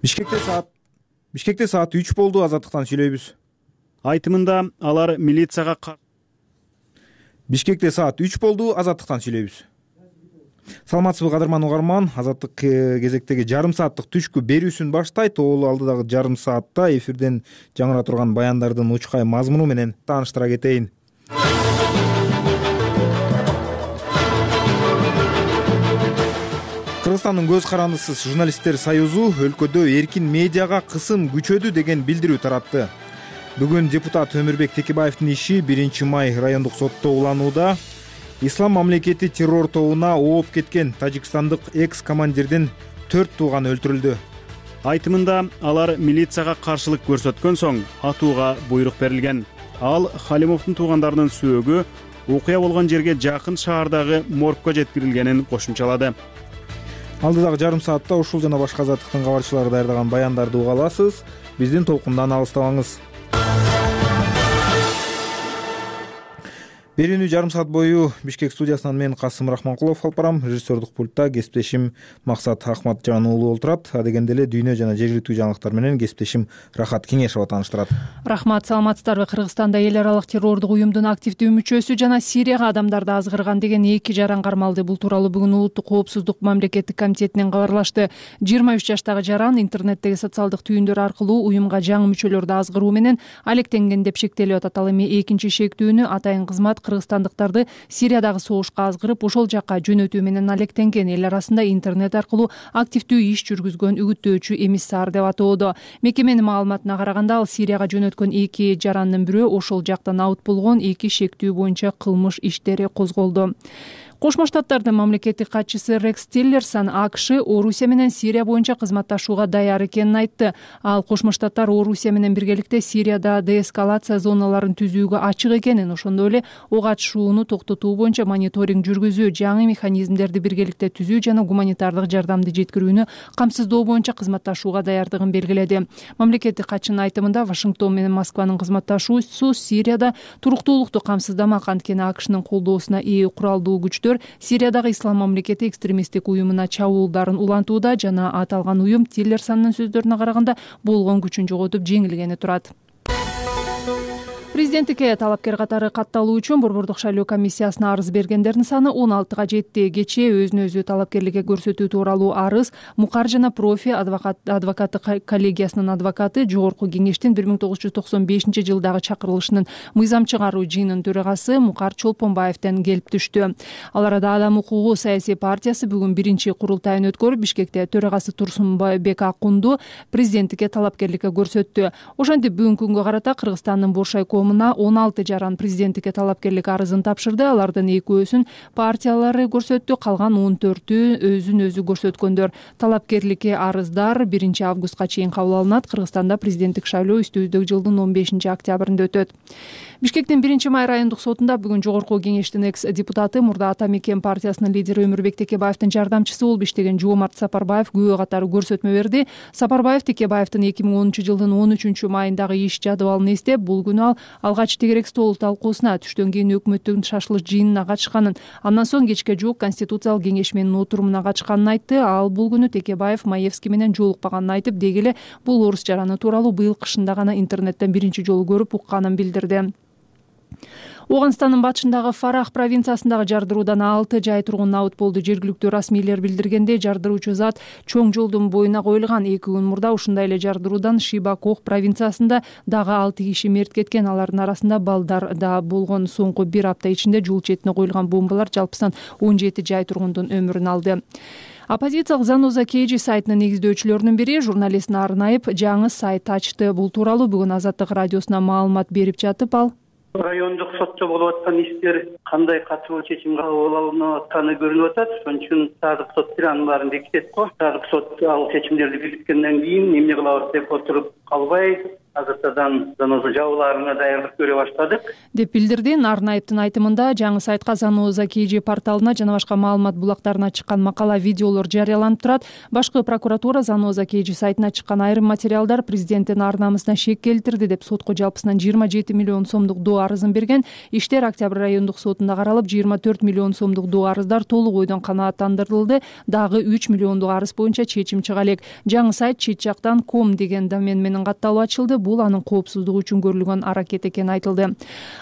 Бишкекте саат 3 болду. Азаттыктан сүйлөйбүз. Айтымында алар милицияга Бишкекте саат 3 болду. Азаттыктан сүйлөйбүз. Саламатсызбы кадырман угарман. Азаттык кезектеги жарым сааттык түшкү берүүсүн баштайт. Ол алдыдагы жарым саатта эфирден жаңыра турган баяндардын учкай мазмуну менен тааныштыра кетейин. Кыргызстандын көз карандысыз журналисттер союзу өлкөдө эркин медиага кысым күчөдү деген билдирүү таратты. Бүгүн депутат Өмүрбек Текебаевдин иши 1 май райондук сотто уланууда. Ислам мамлекети террор тобуна ооп кеткен тажикстандык экс-командирдин 4 тууганы өлтүрүлдү. Айтымында алар милицияга каршылык көрсөткөн соң атууга буйрук берилген. Ал Халимовдун туугандарынын сөөгү окуя болгон жерге жакын шаардагы моргко жеткирилгенин кошумчалады. Алдыдагы жарым саатта ушул жана башка азаттыктын кабарчылары даярдаган баяндарды уга аласыз. Биздин толкундан алыстабаңыз. Берүүнү жарым саат бою Бишкек студиясынан мен Касым Рахманкулов алып барам. Режиссердук пультта кесиптешим Максат Ахматжан уулу олтурат. Адегенде эле дүйнө жана жергиликтүү жаңылыктар менен кесиптешим Рахат Кеңешова тааныштырат. Рахмат, саламатсыздарбы? Кыргызстанда эл аралык террордук уюмдун активдүү мүчөсү жана Сирияга адамдарды азгырган деген 2 жаран кармалды. Бул тууралуу бүгүн Улуттук коопсуздук мамлекеттик комитетинен кабарлашты. 23 жаштагы жаран интернеттеги социалдык түйүндөр аркылуу уюмга жаңы мүчөлөрдү азгыруу менен алектенген деп шектелип атат. Ал эми экинчи шектүүнү атайын кызмат кыргызстандыктарды Сириядагы согушка азгырып, ошол жакка жөнөтүү менен алектенген. Эл арасында интернет аркылуу активдүү иш жүргүзгөн үгүттөөчү эмиссар деп атоодо. Мекеменин маалыматына караганда, ал Сирияга жөнөткөн 2 жарандын бирөө ошол жактан аут болгон. 2 шектүү боюнча кылмыш иштери козголду. Кошмо Штаттардын мамлекеттик катчысы Рекс Тиллерсон АКШ Орусия менен Сирия боюнча кызматташууга даяр экенин айтты. Ал Кошмо Штаттар Орусия менен биргеликте Сирияда деэскалация зоналарын түзүүгө ачык экенин, ошондой эле ок атышууну токтотуу боюнча мониторинг жүргүзүү, жаңы механизмдерди биргеликте түзүү жана гуманитардык жардамды жеткирүүнү камсыздоо боюнча кызматташууга даярдыгын белгиледи. Мамлекеттик катчынын айтымында, Вашингтон менен Москванын кызматташуусу Сирияда туруктуулукту камсыздамак. Анткени АКШнын колдоосуна ээ куралдуу күчтөр Сириядагы Ислам мамлекети экстремисттик уюмуна чабуулдарын улантууда жана аталган уюм Тиллерсондун сөздөрүнө караганда болгон күчүн жоготуп жеңилгени турат. Президенттикке талапкер катары катталуу үчүн Борбордук шайлоо комиссиясына арыз бергендердин саны 16га жетти. Кечээ өзүнө өзү талапкерликке көрсөтүү тууралуу арыз Мукар жана Профи адвокаттык коллегиясынын адвокаты Жогорку кеңештин 1995-жылдагы чакырылышынын мыйзам чыгаруу жыйынынын төрагасы Мукар Чолпонбаевден келип түштү. Ал арада Адам укугу саясий партиясы бүгүн 1-курултайын өткөрүп, Бишкекте төрагасы Турсунбек Акунду президенттикке талапкерликке көрсөттү. Ошентип бүгүнкү күнгө карата Кыргызстандын Боршайкомуна 16 жаран президенттикке талапкерлик арызын тапшырды. Алардын 2-өсүн партиялары көрсөттү, калган 14-ü өзүн өзү көрсөткөндөр. Талапкерликке арыздар 1 августка чейин кабыл алынат. Кыргызстанда президенттик шайлоо үстүбүздөгү жылдын 15 октябрында өтөт. Бишкектин 1 май райондук сотунда бүгүн Жогорку кеңештин экс-депутаты, мурда Ата Мекен партиясынын лидери Өмүрбек Текебаевдин жардамчысы болуп иштеген Жоомарт Сапарбаев күбө катары көрсөтмө берди. Сапарбаев Текебаевдин 2010-жылдын 13 майындагы иш жадыбалын эстеп, бул күнү ал алгач тегерек стол талкуусуна, түштөн кийин өкмөттүн шашылыш жыйынына катышканын, андан соң кечке жуук Конституциялык кеңеш менин отурумуна катышканын айтты. Ал бул күнү Текебаев Маевский менен жолукпаганын айтып, деги эле бул орус жараны тууралуу быйыл кышында гана интернеттен биринчи жолу көрүп укканын билдирди. Оганстандын батышындагы Фарах провинциясындагы жардыруудан 6 жай тургун абыт болду. Жергиликтүү расмийлер билдиргендей, жардыруучу зат чоң жолдун боюна коюлган. 2 күн мурда ушундай эле жардыруудан Шибакох провинциясында дагы 6 киши мерт кеткен. Алардын арасында балдар да болгон. Соңку 1 апта ичинде жол четине коюлган бомбалар жалпысынан 17 жай тургундун өмүрүн алды. Оппозициялык Заноза Кейджи сайтынын негиздөөчүлөрүнүн бири журналистин арнайып жаңы сайт ачты. Бул тууралуу бүгүн Азаттык радиосуна маалымат берип жатып, ал райондук сотто болуп аткан иштер кандай катуу чечим кабыл алынып атканы көрүнүп атат. Ошон үчүн садык сот анын баарын бекитет го. Садык сот ал чечимдерди бекиткенден кийин эмне кылабыз деп отуруп калбай, азыртадан заноза жабылаарына даярдык көрө баштадык деп билдирди. Нарнаевдин айтымында жаңы сайтка Заноза KG порталына жана башка маалымат булактарына чыккан макала, видеолор жарыяланып турат. Башкы прокуратура Заноза KG сайтына чыккан айрым материалдар президенттин ар намысына шек келтирди деп сотко жалпысынан 27 миллион сомдук доо арызын берген. Иштер Октябрь райондук сотунда каралып, 24 миллион сомдук доо арыздар толук ойдон канааттандырылды. Дагы 3 миллиондук арыз боюнча чечим чыга элек. Жаңы сайт чет жактан .com деген домен менен катталып ачылды. Бул анын коопсуздугу үчүн көрүлгөн аракет экени айтылды.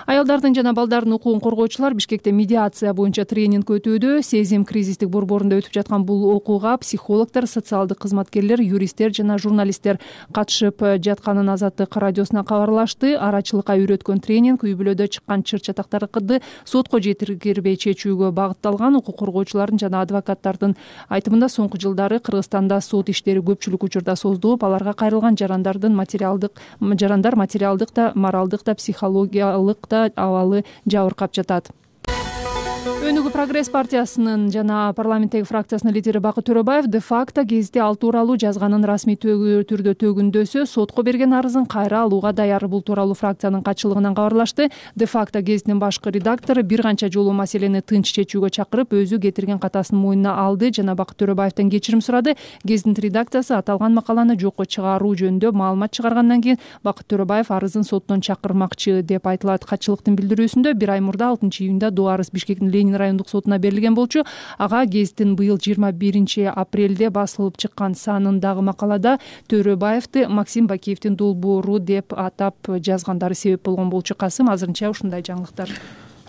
Аялдардын жана балдардын укугун коргоочулар Бишкекте медиация боюнча тренинг өтүүдө. Сезим кризистик борборунда өтүп жаткан бул окууга психологдор, социалдык кызматкерлер, юристтер жана журналисттер катышып жатканын Азаттык радиосуна кабарлашты. Арачылыкка үйрөткөн тренинг үй бүлөдө чыккан чыр чатактарды сотко жеткирбей чечүүгө багытталган. Укук коргоочулардын жана адвокаттардын айтымында соңку жылдары Кыргызстанда сот иштери көпчүлүк учурда создугуп, аларга кайрылган жарандар материалдык да, моралдык да, психологиялык да абалы жабыркап жатат. Өнүгүү прогресс партиясынын жана парламенттеги фракциясынын лидери Бакыт Төрөбаев де-факто гезитте ал тууралуу жазганын расмий түрдө төгүндөсө сотко берген арызын кайра алууга даяр. Бул тууралуу фракциянын катчылыгынан кабарлашты. Де-факто гезитинин башкы редактору бир канча жолу маселени тынч чечүүгө чакырып, өзү кетирген катасын мойнуна алды жана Бакыт Төрөбаевден кечирим сурады. Гезиттин редакциясы аталган макаланы жокко чыгаруу жөнүндө маалымат чыгаргандан кийин Бакыт Төрөбаев арызын соттон чакырмакчы деп айтылат. Катчылыктын билдирүүсүндө 1 ай мурда 6-июнда доо арыз Бишкектин Ленин райондук сотуна берилген болчу. Ага гезиттин быйыл 21 апрелде басылып чыккан санындагы макалада Төрөбаевди Максим Бакиевдин долбоору деп атап жазгандары себеп болгон болчу. Касым, азырынча ушундай жаңылыктар.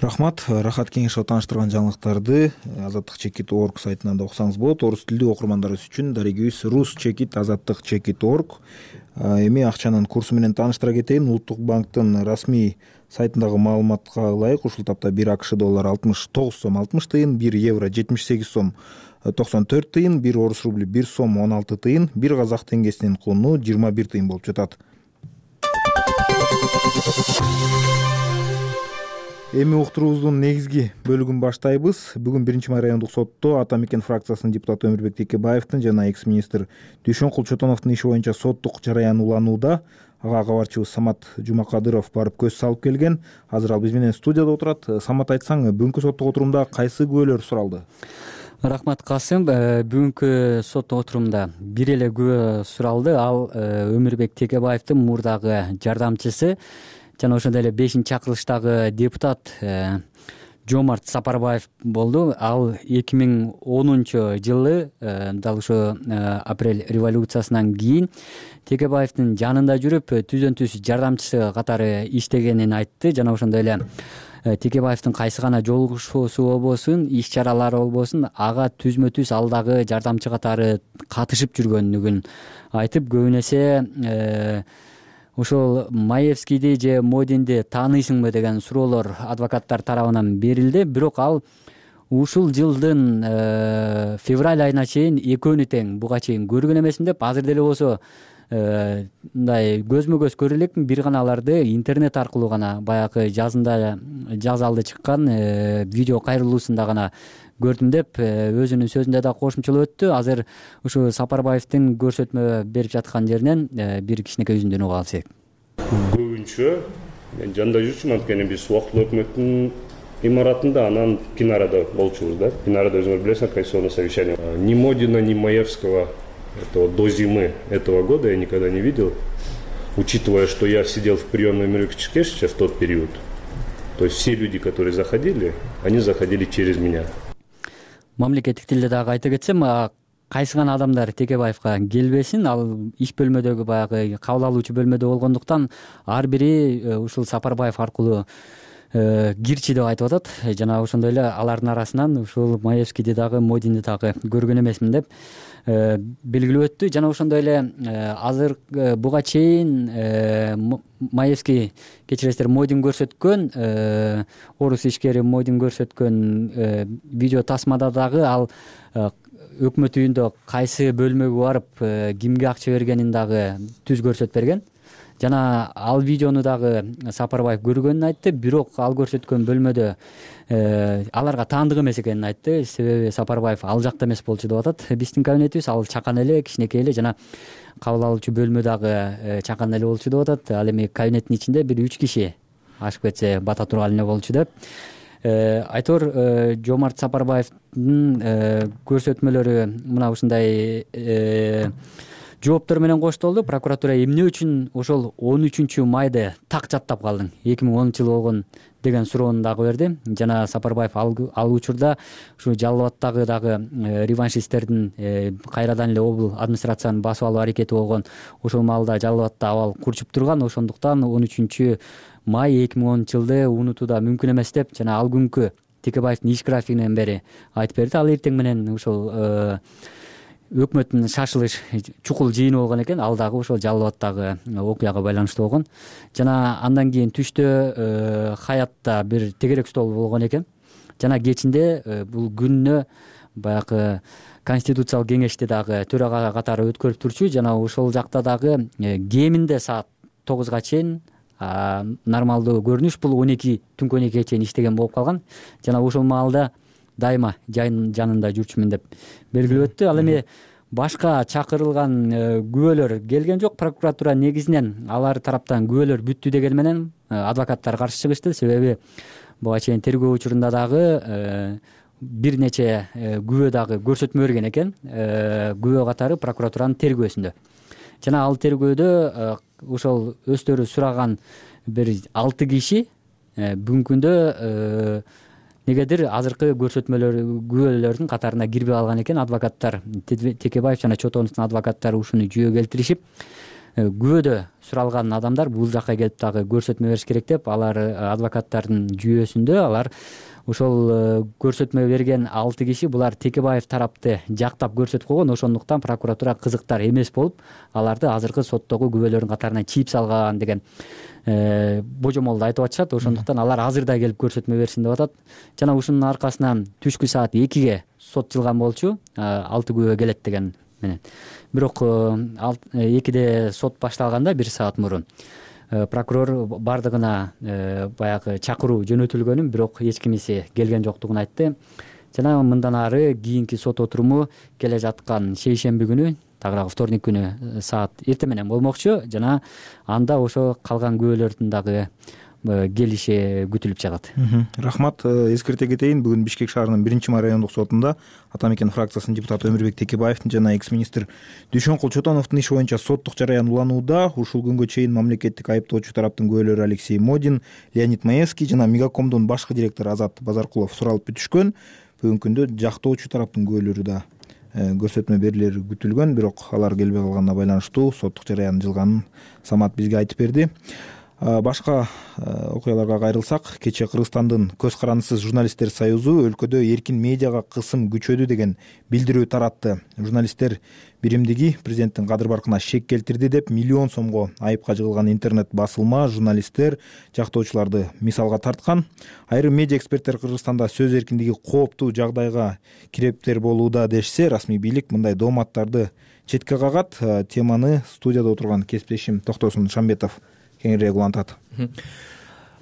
Рахмат. Рахат Кеңешова тааныштырган жаңылыктарды azattik.org сайтынан да окусаңыз болот. Орус тилдүү окурмандарыбыз үчүн дарегибиз rus.azattik.org. Эми акчанын курсу менен тааныштыра кетейин. Улуттук банктын расмий сайтындагы маалыматка ылайык ушул тапта 1 АКШ доллары 69 сом 60 тыйын, 1 евро 78 сом 94 тыйын, 1 орус рубли 1 сом 16 тыйын, 1 казак теңгесинин кууну 21 тыйын болуп жатат. Эми уктуруубуздун негизги бөлүгүн баштайбыз. Бүгүн 1 май райондук сотто Ата Мекен фракциясынын депутаты Өмүрбек Текебаевдин жана экс-министр Дүйшөн Чотоновдун иши боюнча соттук жараян уланууда. Ага кабарчыбыз Самат Жумакадыров барып көз салып келген. Азыр ал биз менен студияда отурат. Самат, айтсаң, бүгүнкү соттук отурумда кайсы күбөлөр суралды? Рахмат, Касым. Бүгүнкү соттук отурумда бир эле күбө суралды. Ал Өмүрбек Текебаевдин мурдагы жардамчысы жана ошондой эле 5-чакырылыштагы депутат Жомарт Сапарбаев болду. Ал 2010 жылы дал ошо апрель революциясынан кийин Текебаевдин жанында жүрүп, түздөн-түз жардамчысы катары иштегенин айтты жана ошондой эле Текебаевдин кайсы гана жолугушуусу болбосун, иш-чаралары болбосун, ага түзмө-түз ал дагы жардамчы катары катышып жүргөнүгүн айтып, көбүн эсе ошол Маевскийди же Модинди тааныйсыңбы деген суроолор адвокаттар тарабынан берилди. Бирок ал ушул жылдын февраль айына чейин экөөнү тең буга чейин көргөн эмесмин деп, азыр деле болсо мындай көзмө-көз көрө элекмин, бир гана аларды интернет аркылуу гана баягы жазалды чыккан видео кайрылуусунда гана көрдүм деп өзүнүн сөзүндө да кошумчалап өттү. Азыр ушу Сапарбаевдин көрсөтмө берип жаткан жеринен бир кичинекей үзүндү угуп алсак. Көбүнчө мен жанында жүрчүмүн, анткени биз убактылуу өкмөттүн имаратында, анан Пинарада болчубуз да. Пинарада өзүңөр билесиңер, конституционное совещание. Ни Модина, ни Маевского этого до зимы этого года я никогда не видел, учитывая, что я сидел в приемной Өмүрбек Текебаевича в тот период. То есть все люди, которые заходили, они заходили через меня. Мамлекеттик тилде дагы айта кетсем, кайсы гана адамдар Текебаевга келбесин, ал иш бөлмөдөгү баягы кабыл алуучу бөлмөдө болгондуктан ар бири ушул Сапарбаев аркылуу кирчи деп айтып атат. Жана ошондой эле алардын арасынан ушул Маевскийди дагы, Модинди дагы көргөн эмесмин деп белгилеп өттү. Жана ошондой эле азыр буга чейин Маевский, кечиресиздер, Модин көрсөткөн, орус ишкери Модин көрсөткөн видео тасмада дагы ал өкмөт үйүндө кайсы бөлмөгө барып кимге акча бергенин дагы түз көрсөтүп берген. жана ал видеону дагы Сапарбаев көргөнүн айтты, бирок ал көрсөткөн бөлмөдө аларга таандык эмес экенин айтты. Себеби Сапарбаев ал жакта эмес болчу деп атат. Биздин кабинетибиз ал чакан эле, кичинекей эле, жана кабыл алуучу бөлмө дагы чакан эле болчу деп атат. Ал эми кабинеттин ичинде бир 3 киши ашып кетсе бата турган эле болчу деп. Айтор Жомарт Сапарбаевдин көрсөтмөлөрү мына ушундай жооптор менен коштолду. Прокуратура эмне үчүн ошол 13 майды так жаттап калдың, 2010 жыл болгон деген суроону дагы берди. Жана Сапарбаев ал учурда ушу Жалал Абадтагы дагы реваншисттердин кайрадан эле обул администрацияны басып алуу аракети болгон. Ошол маалда Жалал Абадта абал курчуп турган. Ошондуктан 13 май 2010 жылды унутуу да мүмкүн эмес деп жана ал күнкү Текебаевдин иш графигинен бери айтып берди. Ал эртең менен ошол өкмөттүн шашылыш чукул жыйыны болгон экен. Ал дагы ошол Жалал Абадтагы окуяга байланыштуу болгон. Жана андан кийин түштө Хаятта бир тегерек стол болгон экен. Жана кечинде бул күнүнө баягы конституциялык кеңешти дагы төрага катары өткөрүп турчу. Жана ошол жакта дагы кеминде саат 9га чейин нормалдуу көрүнүш бул 12 түнкү 12ге чейин иштеген болуп калган. Жана ошол маалда дайыма жайын жанында жүрчүмүн деп белгилеп өттү. Ал эми башка чакырылган күбөлөр келген жок. Прокуратура негизинен алар тараптан күбөлөр бүттү деген менен адвокаттар каршы чыгышты. Себеби буга чейин тергөө учурунда дагы бир нече күбө дагы көрсөтмө берген экен. Күбө катары прокуратуранын тергөөсүндө. Жана ал тергөөдө ошол өздөрү сураган бир 6 киши бүгүнкү күндө негедир азыркы күбөлөрдүн катарына кирбей калган экен. Адвокаттар Текебаев жана Чотоновдун адвокаттары ушуну жүйө келтиришип, күбөдө суралган адамдар бул жакка келип дагы көрсөтмө бериш керек деп, алар адвокаттардын жүйөсүндө алар ошол көрсөтмө берген 6 киши булар Текебаев тарапты жактап көрсөтүп койгон. Ошондуктан прокуратура кызыктар эмес болуп, аларды азыркы соттогу күбөлөрдүн катарына чийип салган деген божомолду айтып атышат. Ошондуктан алар азырда келип көрсөтмө берсин деп атат. Жана ушунун аркасынан түшкү саат 2ге сот жылган болчу, 6 күбө келет деген менен. Бирок 2де сот башталганда 1 саат мурун прокурор бардыгына баягы чакыруу жөнөтүлгөнүн, бирок эч кимиси келген жоктугун айтты. Жана мындан ары кийинки сот отуруму келе жаткан шейшемби күнү, тагыраагы вторник күнү саат эртең менен болмокчу. Жана анда ошо калган күбөлөрдүн дагы келиши күтүлүп жатат. Рахмат. Эскерте кетейин, бүгүн Бишкек шаарынын 1-май райондук сотунда Ата Мекен фракциясынын депутаты Өмүрбек Текебаевдин жана экс-министр Дүйшөнкул Чотоновдун иши боюнча соттук жараян уланууда. Ушул күнгө чейин мамлекеттик айыптоочу тараптын күбөлөрү Алексей Модин, Леонид Маевский жана Мегакомдун башкы директору Азат Базаркулов суралып бүтүшкөн. Бүгүнкү күндө жактоочу тараптын күбөлөрү да көрсөтмө берилери күтүлгөн, бирок алар келбей калганына байланыштуу соттук жараян жылганын Самат бизге айтып берди. Башка окуяларга кайрылсак, кечээ Кыргызстандын Көз карандысыз журналисттер союзу өлкөдө эркин медиага кысым күчөдү деген билдирүү таратты. Журналисттер биримдиги президенттин кадыр баркына шек келтирди деп миллион сомго айыпка жыгылган интернет басылма журналисттер жактоочуларды мисалга тарткан. Айрым медиа эксперттер Кыргызстанда сөз эркиндиги кооптуу жагдайга кирептер болууда дешсе, расмий бийлик мындай дооматтарды четке кагат. Теманы студияда отурган кесиптешим Токтосун Шамбетов кеңирээк улантат.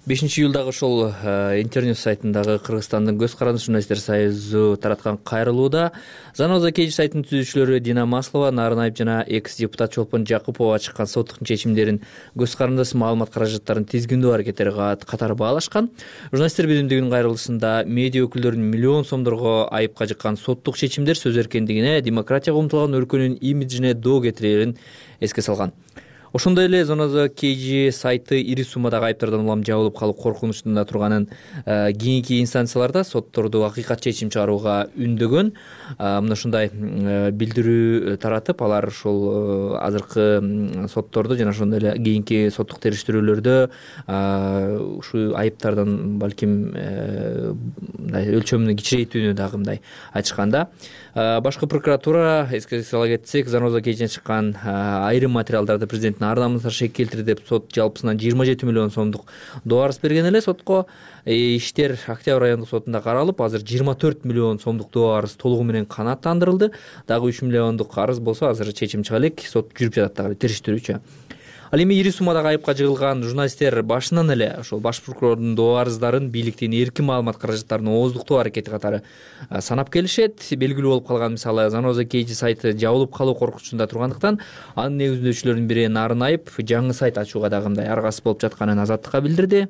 5-июлдагы ошол интернет сайтындагы Кыргызстандын Көз карандысыз журналисттер союзу тараткан кайрылууда Заноза Кеж сайтынын түзүүчүлөрү Дина Маслова, Нарынаев жана экс-депутат Чолпон Жакупова чыккан соттук чечимдерин Көз карандысыз маалымат каражаттарын тизгиндөө аракеттери катары баалашкан. Журналисттер биримдигинин кайрылуусунда медиа өкүлдөрүнүн миллион сомдорго айыпка жыккан соттук чечимдер сөз эркиндигине, демократияга умтулган өлкөнүн имиджине доо кетирерин эске салган. Ошондой эле Заноза Кеж сайты ири суммадагы айыптардан улам жабылып калуу коркунучунда турганын кийинки инстанцияларда сотторду акыйкат чечим чыгарууга үндөгөн. Мына ушундай билдирүү таратып, алар ошол азыркы соттордо жана ошондой эле кийинки соттук териштирүүлөрдө ушу айыптардан балким мындай өлчөмүнүн кичирейтүүнү дагы мындай айтышканда. Башкы прокуратура, эске сала кетсек, Заноза Кежден чыккан айрым материалдарды президенттин ар намысына шек келтирди деп сот жалпысынан 27 миллион сомдук доо арыз берген эле. Сотко иштер Октябрь райондук сотунда каралып, азыр 24 миллион сомдук доо арыз толугу менен канааттандырылды. Дагы 3 миллиондук арыз болсо азыр чечим чыга элек, сот жүрүп жатат дагы териштирүүчү. Ал эми ири суммадагы айыпка жыгылган журналисттер башынан эле ошол баш прокурордун доо арыздарын бийликтин эркин маалымат каражаттарын ооздуктоо аракети катары санап келишет. Белгилүү болуп калган мисалы Заноза KG сайты жабылып калуу коркунучунда тургандыктан анын негиздөөчүлөрүнүн бири Нарын Айып жаңы сайт ачууга дагы мындай аргасыз болуп жатканын Азаттыкка билдирди.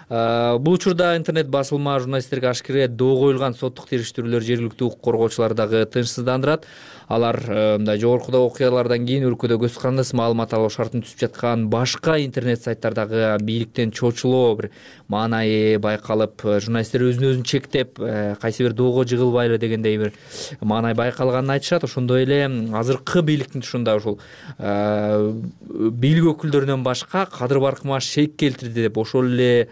Бул учурда интернет басылма журналисттерге ашкере доо коюлган соттук териштирүүлөр жергиликтүү укук коргоочуларды дагы тынчсыздандырат. Алар мындай жогоркуда окуялардан кийин өлкөдө көз карандысыз маалымат алуу шартын түзүп жаткан башка интернет сайттардагы бийликтен чочулоо бир маанайы байкалып, журналисттер өзүн чектеп, кайсы бир доого жыгылбайлы дегендей бир маанай байкалганын айтышат. Ошондой эле азыркы бийликтин тушунда ушул бийлик өкүлдөрүнөн башка кадыр баркыма шек келтирди деп ошол эле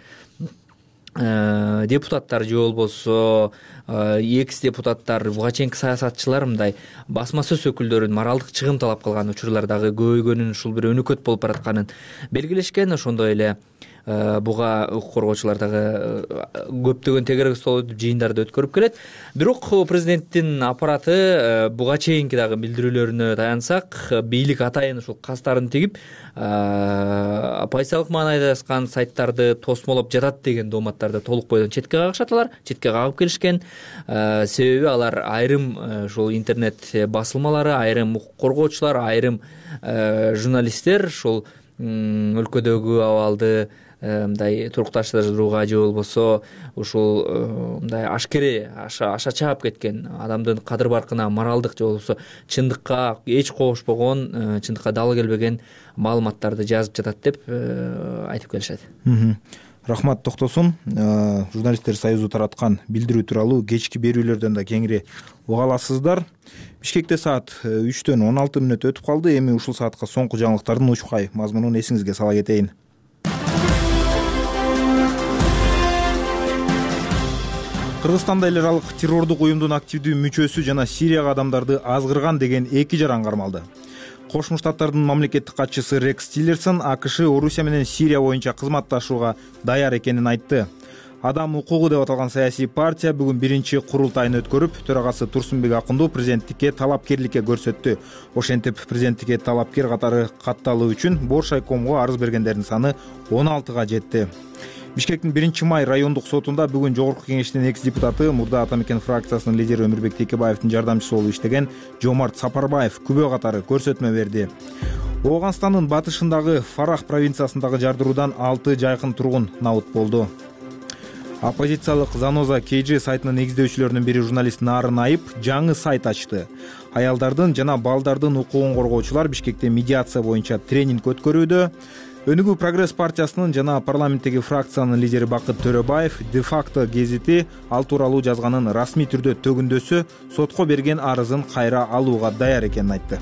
депутаттар же болбосо экс депутаттар, буга чейинки саясатчылар мындай басма сөз өкүлдөрүн моралдык чыгым талап кылган учурлар дагы көбөйгөнүн, ушул бир өнөкөт болуп баратканын белгилешкен. Ошондой эле буга укук коргоочулар дагы көптөгөн тегерек стол жыйындарды өткөрүп келет. Бирок президенттин аппараты буга чейинки дагы билдирүүлөрүнө таянсак, бийлик атайын ушул кастарын тигип пайсалык маанайдасган сайттарды тосмолоп жатат деген дооматтарды толук бойдон четке кагышат. Алар четке кагып келишкен. Себеби алар айрым ушул интернет басылмалары, айрым укук коргоочулар, айрым журналисттер ушул өлкөдөгү абалды мындай турукташтырууга же болбосо ушул мындай ашкере аша чаап кеткен, адамдын кадыр баркына моралдык же болбосо чындыкка эч кошпогон, чындыкка дал келбеген маалыматтарды жазып жатат деп айтып келишет. Рахмат Токтосун. Журналисттер союзу тараткан билдирүү тууралуу кечки берүүлөрдөн да кеңири уга аласыздар. Бишкекте саат 3-төн 16 мүнөт өтүп калды. Эми ушул саатка соңку жаңылыктардын учкай мазмунун эсиңизге сала кетейин. Кыргызстанда эл аралык террордук уюмдун активдүү мүчөсү жана Сирияга адамдарды азгырган деген 2 жаран кармалды. Кошмо Штаттардын мамлекеттик катчысы Рекс Тиллерсон АКШ Орусия менен Сирия боюнча кызматташууга даяр экенин айтты. Адам укугу деп аталган саясий партия бүгүн биринчи курултайын өткөрүп, төрагасы Турсунбек Акундуу президенттикке талапкерликке көрсөттү. Ошентип, президенттикке талапкер катары катталуу үчүн Боршайкомго арыз бергендердин саны 16га жетти. Бишкектин 1-май райондук сотунда бүгүн жогорку кеңештин экс депутаты, мурда Атамекен фракциясынын лидери Өмүрбек Текебаевдин жардамчысы болуп иштеген Жомарт Сапарбаев күбө катары көрсөтмө берди. Ооганстандын батышындагы Фарах провинциясындагы жардыруудан 6 жайкын тургун набут болду. Оппозициялык Заноза KG сайтынын негиздөөчүлөрүнүн бири журналист Нарын Айып жаңы сайт ачты. Аялдардын жана балдардын укугун коргоочулар Бишкекте медиация боюнча тренинг өткөрүүдө. Өнүгүү Прогресс партиясынын жана парламенттеги фракциянын лидери Бакыт Төрөбаев де-факто гезити ал тууралуу жазганын расмий түрдө төгүндөсө, сотко берген арызын кайра алууга даяр экенин айтты.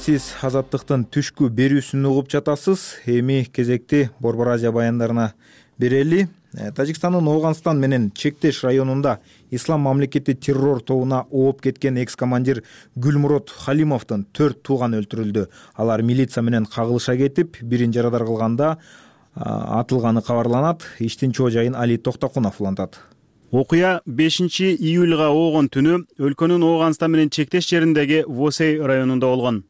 Сиз Азаттыктын түшкү берүүсүн угуп жатасыз. Эми кезекти Борбор Азия баяндарына берели. Тажикстандын Ооганстан менен чектеш районунда Ислам мамлекети террор тобуна ооп кеткен экс-командир Гүлмурод Халимовдун 4 тууганы өлтүрүлдү. Алар милиция менен кагылыша кетип, бирин жарадар кылганда атылганы кабарланат. Иштин чоо жайын Али Токтокунов улантат. Окуя 5-июлга оогон түнү өлкөнүн Ооганстан менен чектеш жериндеги Восей районунда болгон.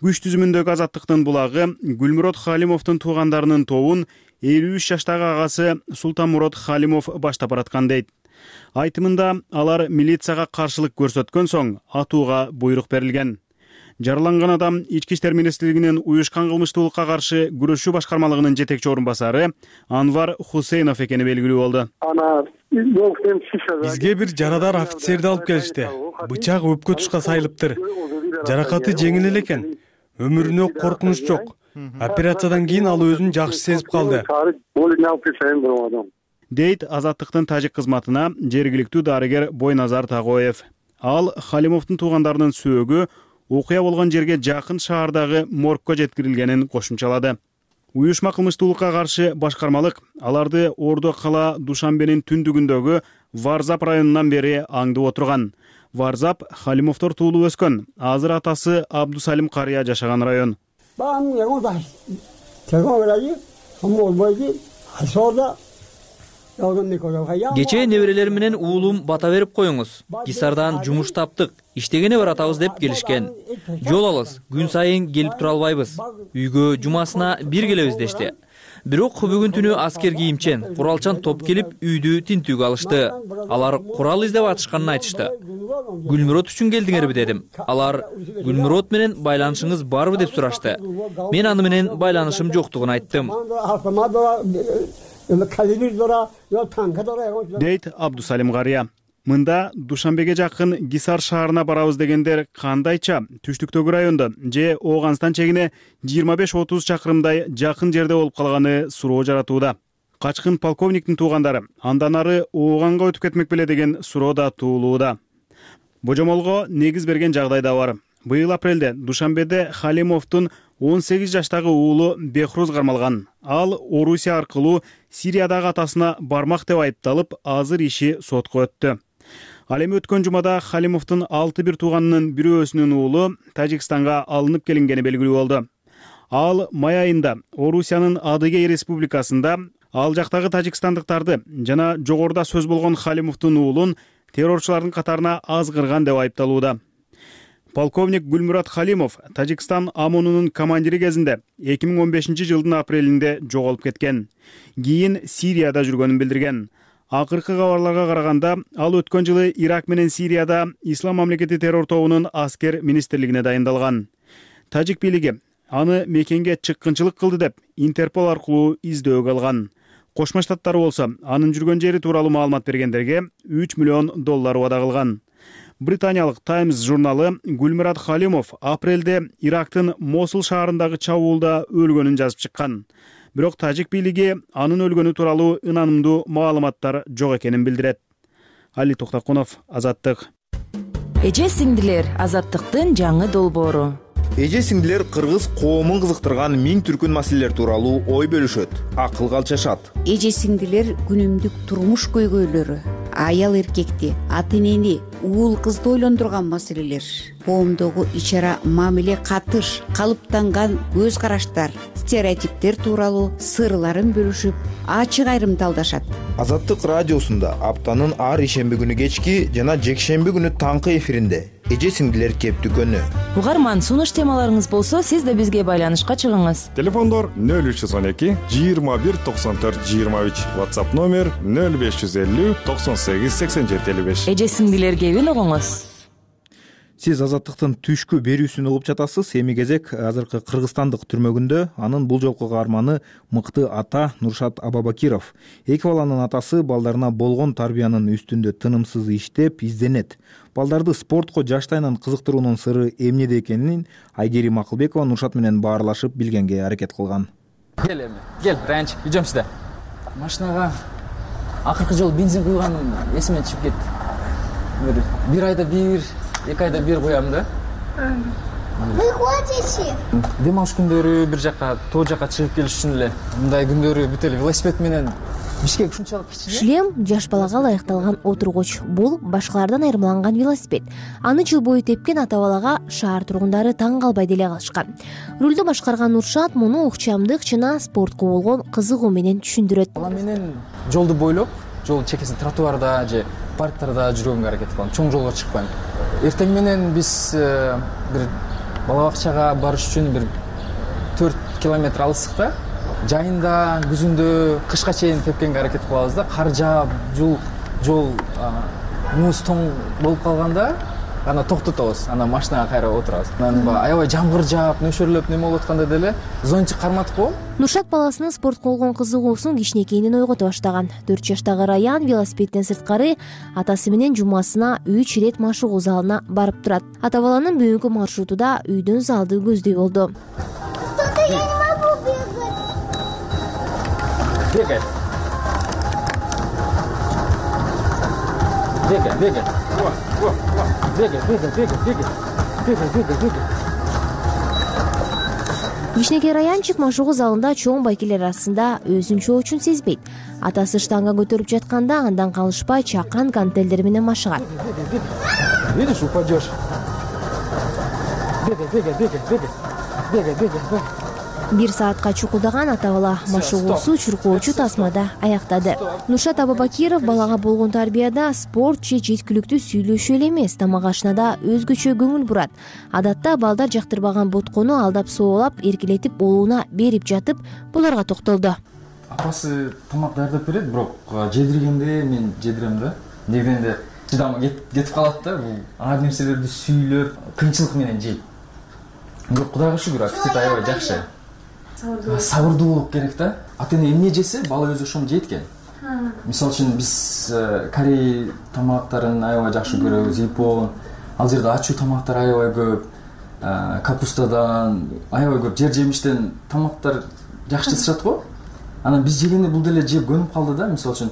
Күч түзүмүндөгү Азаттыктын булагы Гүлмурод Халимовдун туугандарынын тобун 53 жаштагы агасы Султанмурод Халимов баштап бараткан дейт. Айтымында алар милицияга каршылык көрсөткөн соң атууга буйрук берилген. Жараланган адам Ички иштер министрлигинин уюшкан кылмыштуулукка каршы күрөшүү башкармалыгынын жетекчи орун басары Анвар Хусейнов экени белгилүү болду. Бизге бир жарадар офицерди алып келишти. Бычак өпкө тушка сайылыптыр. Жаракаты жеңил эле экен. Өмүрүнө коркунуч жок. Операциядан кийин ал өзүн жакшы сезип калды. Дейт Азаттыктын тажик кызматына жергиликтүү дарыгер Бойназар Тагоев. Ал Халимовдун туугандарынын сөөгү окуя болгон жерге жакын шаардагы моргко жеткирилгенин кошумчалады. Уюшма кылмыштуулукка каршы башкармалык аларды Ордо кала Душанбенин түндүгүндөгү Варзап районунан бери аңдып отурган. Варзап Халимовдор туулуп өскөн. Азыр атасы Абдусалим карыя жашаган район. Кечээ неберелер менен уулум бата берип коюңуз. Гисардан жумуш таптык, иштегене баратабыз деп келишкен. Жол алыс, күн сайын келип тура албайбыз. Үйгө жумасына бир келебиз дешти. Бирок бүгүн түнү аскер кийимчен, куралчан топ келип үйдү тинтүүгө алышты. Алар курал издеп атышканын айтышты. Гүлмүрот үчүн келдиңерби дедим. Алар Гүлмүрот менен байланышыңыз барбы деп сурашты. Мен аны менен байланышым жоктугун айттым. Дейт Абдусалим Карыя. Мында Душанбеге жакын Гисар шаарына барабыз дегендер кандайча түштүктөгү райондо же Ооганстан чегине 25-30 чакырымдай жакын жерде болуп калганы суроо жаратууда. Качкын полковниктин туугандары андан ары Ооганга өтүп кетмек беле деген суроо да туулууда. Божомолго негиз берген жагдай да бар. Быйыл апрелде Душанбеде Халимовдун 18 жаштагы уулу Бехруз кармалган. Ал Орусия аркылуу Сириядагы атасына бармак деп айыпталып, азыр иши сотко өттү. Ал эми өткөн жумада Халимовдун 6 тууганынын бирөөсүнүн уулу Тажикстанга алынып келингени белгилүү болду. Ал май айында Орусиянын Адыгей республикасында ал жактагы тажикстандыктарды жана жогоруда сөз болгон Халимовдун уулун террорчулардын катарына азгырган деп айыпталууда. Полковник Гүлмүрат Халимов Тажикстан ОМОНунун командири кезинде 2015 жылдын апрелинде жоголуп кеткен. Кийин Сирияда жүргөнүн билдирген. Акыркы кабарларга караганда, ал өткөн жылы Ирак менен Сирияда Ислам мамлекети террор тобунун аскер министрлигине дайындалган. Тажик бийлиги аны мекенге чыккынчылык кылды деп Интерпол аркылуу издөөгө алган. Кошмо Штаттар болсо анын жүргөн жери тууралуу маалымат бергендерге $3 миллион убада кылган. Британиялык Times журналы Гүлмүрат Халимов апрелде Ирактын Мосул шаарындагы чабуулда өлгөнүн жазып чыккан. Бирок тажик бийлиги анын өлгөнү тууралуу ынанымдуу маалыматтар жок экенин билдирет. Али Токтокунов, Азаттык. Эже сиңдилер, Азаттыктын жаңы долбоору. Эже сиңдилер кыргыз коомун кызыктырган миң түркүн маселелер тууралуу ой бөлүшөт, акылга алчашат. Эже сиңдилер күнүмдүк турмуш көйгөйлөрү, аял эркекти, ата энени, уул кызды ойлондурган маселелер, коомдогу ич-ара мамиле катыш, калыптанган көз караштар, стереотиптер тууралуу сырларын бөлүшүп, ачык айрымдалдашат. Азаттык радиосунда аптанын ар ишемби күнү кечки жана жекшемби күнү таңкы эфиринде эже сиңдилер кептүкөнү. Угарман, сунуш темаларыңыз болсо, сиз да бизге байланышка чыгыңыз. Телефондор 0312 21 94 23, WhatsApp номер 0550 98 87 55. Эже сиңдилер кебин угуңуз. Сиз Азаттыктын түшкү берүүсүн угуп жатасыз. Эми кезек азыркы кыргызстандык түрмөгүндө анын бул жолку каарманы мыкты ата Нуршат Абабакиров. Эки баланын атасы балдарына болгон тарбиянын үстүндө тынымсыз иштеп, изденет. Балдарды спортко жаштайынан кызыктыруунун сыры эмнеде экенин Айгерим Акылбекова Нуршат менен баарлашып билгенге аракет кылган. Кел, Ранч, үйдөм сизде. Машинага акыркы жолу бензин куйганым эсимен чыгып кетти. Бир айда бир, 2 айда бир куям да. Выходите? Дем алыш күндөрү бир жака, тоо жака чыгып келиш үчүн эле. Мындай күндөрү бүт эле велосипед менен Бишкек ушунчалык кичине. Шлем жаш балага ылайыкталган отургуч. Бул башкалардан айырмаланган велосипед. Аны жыл бою тепкен ата балага шаар тургундары таң калбай деле калышкан. Рулду башкарган Нуршат муну укчамдык жана спортко болгон кызыгуу менен түшүндүрөт. Бала менен жолду бойлоп, жол чекесин тротуарда же парктарда жүргөнгө аракет кылам. Чоң жолго чыкпайм. Эртең менен биз бир бала бакчага барыш үчүн бир 4 километр алыстыкта жайында, күзүндө, кышка чейин тепкенге аракет кылабыз да. Кар жаап, жол муз тоң болуп калганда ана токтотобуз, ана машинага кайра отурабыз. Анан аябай жамгыр жаап, нөшөрлөп неме болуп атканда деле зонтик карматып коем. Нуршат баласынын спортко болгон кызыгуусун кичинекейинен ойгото баштаган. 4 жаштагы Раян велосипедден сырткары атасы менен жумасына 3 ирет машыгуу залына барып турат. Ата баланын бүгүнкү маршруту да үйдөн залды көздөй болду. Бегай. Кичинекей Раянчик машыгуу залында чоң байкелер арасында өзүнчө үчүн сезбейт. Атасы штанга көтөрүп жатканда андан калышпай чакан гантелдер менен машыгат. Видишь, упадешь. Бегай. 1 саатка чукулдаган ата бала машыгуусу чуркоочу тасмада аяктады. Нуршат Абабакиров балага болгон тарбияда спорт же жеткиликтүү сүйлөшүү эле эмес, тамак ашынада өзгөчө көңүл бурат. Адатта балдар жактырбаган боткону алдап соолап, эркелетип уулуна берип жатып, буларга токтолду. Апасы тамак даярдап берет, бирок жедиргенде мен жедирем да. Дегенде чыдамы кетип калат да. Бул ар нерселерди сүйлөп, кыйынчылык менен жейт. Бирок Кудайга шүгүр, аппетит аябай жакшы. Сабырдуу болуп керек да. Ата-эне эмне жесе, бала өзү ошону жейт экен. Мисалы үчүн биз Корей тамактарын аябай жакшы көрөбүз, Япон. Ал жерде ачуу тамактар аябай көп. Капустадан аябай көп жер жемиштен тамактар жакшы жасашат го. Анан биз жегенде бул деле жеп көнүп калды да. Мисалы үчүн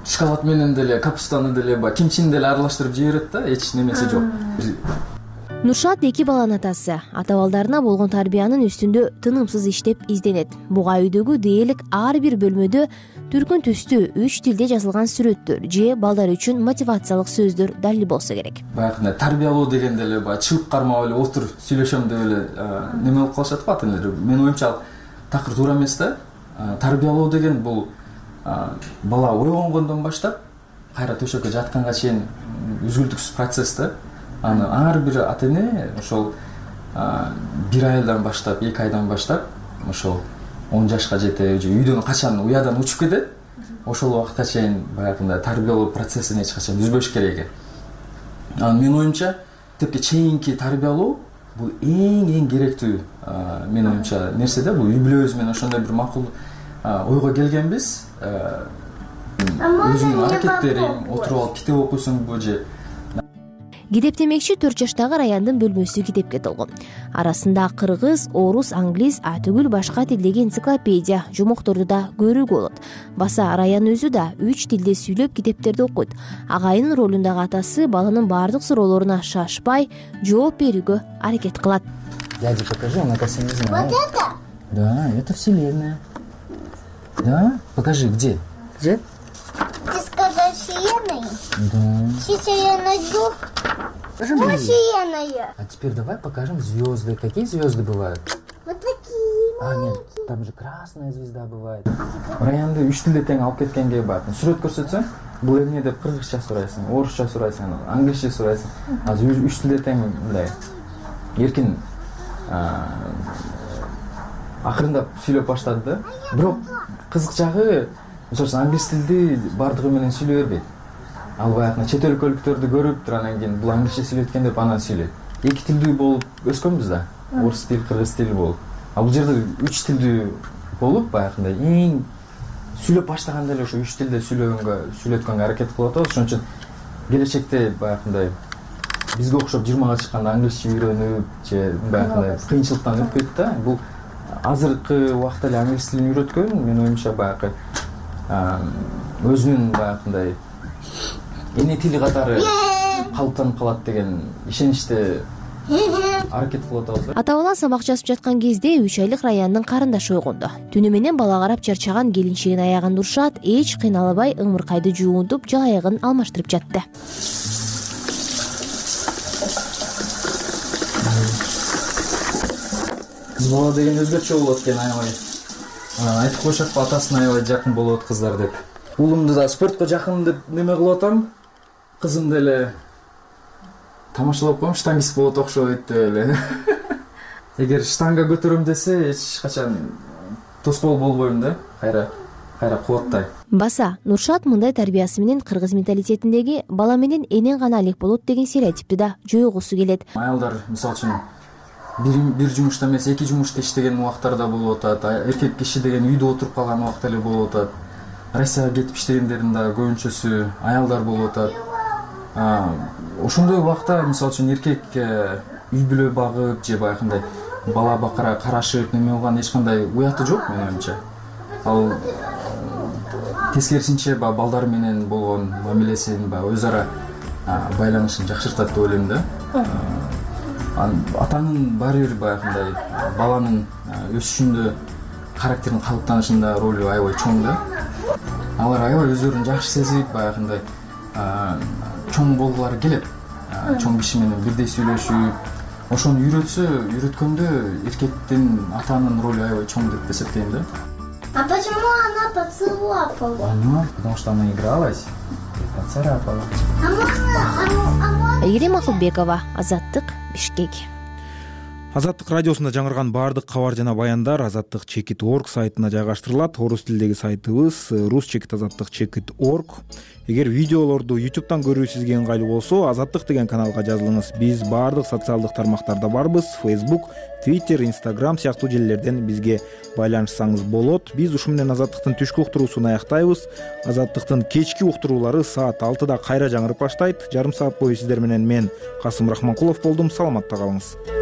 шоколад менен деле, капустаны деле, кимчини деле аралаштырып жей берет да, эч немеси жок. Нуршат 2 баланын атасы. Ата балдарына болгон тарбиянын үстүндө тынымсыз иштеп изденет. Буга үйдөгү дээрлик ар бир бөлмөдө түркүн түстүү 3 тилде жазылган сүрөттөр же балдар үчүн мотивациялык сөздөр далил болсо керек. Баягы тарбиялоо дегенде эле чыгып кармап эле отур сүйлөшөм деп эле неме болуп калышат го ата-энелер. Менин оюмча такыр туура эмес да. Тарбиялоо деген бул бала ойгонгондон баштап кайра төшөккө жатканга чейин үзгүлтүксүз процесс да. Аны ар бир ата-эне ошол 1 айдан баштап, 2 айдан баштап ошол 10 жашка жете, же үйдөн качан уядан учуп кетет, ошол убакытка чейин баягындай тарбиялоо процессин эч качан үзбөш керек экен. Менин оюмча, тепке чейинки тарбиялоо бул эң керектүү менин оюмча нерсе да. Бул үй бүлөбүз менен ошондой бир макул ойго келгенбиз. Өзүңдүн аракеттериң, отуруп алып китеп окуйсуңбу же. Китептемекчи 4 жаштагы Раяндын бөлмөсү китепке толгон. Арасында кыргыз, орус, англис, түгүл башка тилдеги энциклопедия, жумокторду да көрүүгө болот. Баса Раян өзү да 3 тилде сүйлөп китептерди окуйт. Агайынын ролундагы атасы баланын баардык суроолоруна шашпай жооп берүүгө аракет кылат. Дядя, покажи, он оказывается не знает. Вот это? Да, это вселенная. Да? Покажи, где? Где? Ты сказал вселенная? Да. Сейчас я найду. Вселенная. А теперь давай покажем звезды. Какие звезды бывают? Вот такие. Нет, там же красная звезда бывает. Раянды 3 тилде тең алып кеткенге бардым. Сүрөт көрсөтсөң, бул эмне деп кыргызча сурайсың, орусча сурайсың, англисче сурайсың. Азыр 3 тилде тең мындай эркин акырындап сүйлөп баштады да. Бирок кызык жагы, мисалы англис тилди бардыгы менен сүйлөй бербейт. Ал баягы чет өлкөлүктөрдү көрүп, анан кийин бул англисче сүйлөткөн деп анан сүйлөйт. 2 тилдүү болуп өскөнбүз да. Орус тил, кыргыз тил болуп. А бул жерде 3 тилдүү болуп, баягындай эң сүйлөп баштаганда эле ошо 3 тилде сүйлөткөнгө аракет кылып атабыз. Ошон үчүн келечекте баягындай бизге окшоп 20га чыкканда англисче үйрөнүп, же баягындай кыйынчылыктан өтпөйт да. Бул азыркы убакта эле англис тилин үйрөткөн, менин оюмча баягы өзүнүн баягындай эне тили катары калыптанып калат деген ишеничте аракет кылып атабыз. Ата бала сабак жазып жаткан кезде 3 айлык Раяндын карындашы ойгонду. Түнү менен бала карап чарчаган келинчегин аягын Нуршат эч кыйналбай ыңмыркайды жуунтуп, жалаягын алмаштырып жатты. Кыз бала деген өзгөчө болот экен, аябай. Айтып коюшат го, атасына аябай жакын болот кыздар деп. Уулумду да спортко жакын деп неме кылып атам. Кызым деле тамашалап коем, штангист болот окшойт деп эле. Эгер штанга көтөрөм десе, эч качан тоскоол болбойм да. Кайра кубаттай. Баса Нуршат мындай тарбиясы менен кыргыз менталитетиндеги бала менен энен гана элек болот деген стереотипти да жойгусу келет. Аялдар мисалы үчүн бир жумушта эмес, 2 жумушта иштеген убактарда болуп атат. Эркек киши деген үйдө отуруп калган убакта эле болуп атат. Россияга кетип иштегендердин да көбүнчөсү аялдар болуп атат. Ошондой убакта мисалы үчүн эркек үй бүлө багып же баягындай бала бакара карашып неме кылган эч кандай уяты жок менин оюмча. Ал тескерисинче балдар менен болгон мамилесин, өз ара байланышын жакшыртат деп ойлойм да. Атанын баары бир баягындай баланын өсүшүндө, характеринин калыптанышында ролу аябай чоң да. Алар аябай өздөрүн жакшы сезип, баягындай чоң болгулары келет. Чоң киши менен бирдей сүйлөшүп, ошону үйрөткөндө эркектин атанын ролу аябай чоң деп эсептейм да. А почему она поцеловала? Потому что она игралась и поцарапала. Айгерим Акылбекова, Азаттык, Бишкек. Азаттык радиосунда жаңырган баардык кабар жана баяндар azattik.org сайтына жайгаштырылат. Орус тилдеги сайтыбыз rus.azattik.org. Эгер видеолорду YouTube'дан көрүү сизге ыңгайлуу болсо, Азаттык деген каналга жазылыңыз. Биз баардык социалдык тармактарда барбыз. Facebook, Twitter, Instagram сыяктуу желилерден бизге байланышсаңыз болот. Биз ушу менен Азаттыктын түшкү уктуруусун аяктайбыз. Азаттыктын кечки уктуруулары саат 6-да кайра жаңырып баштайт. Жарым саат бою сиздер менен мен Касым Рахманкулов болдум. Саламатта калыңыз.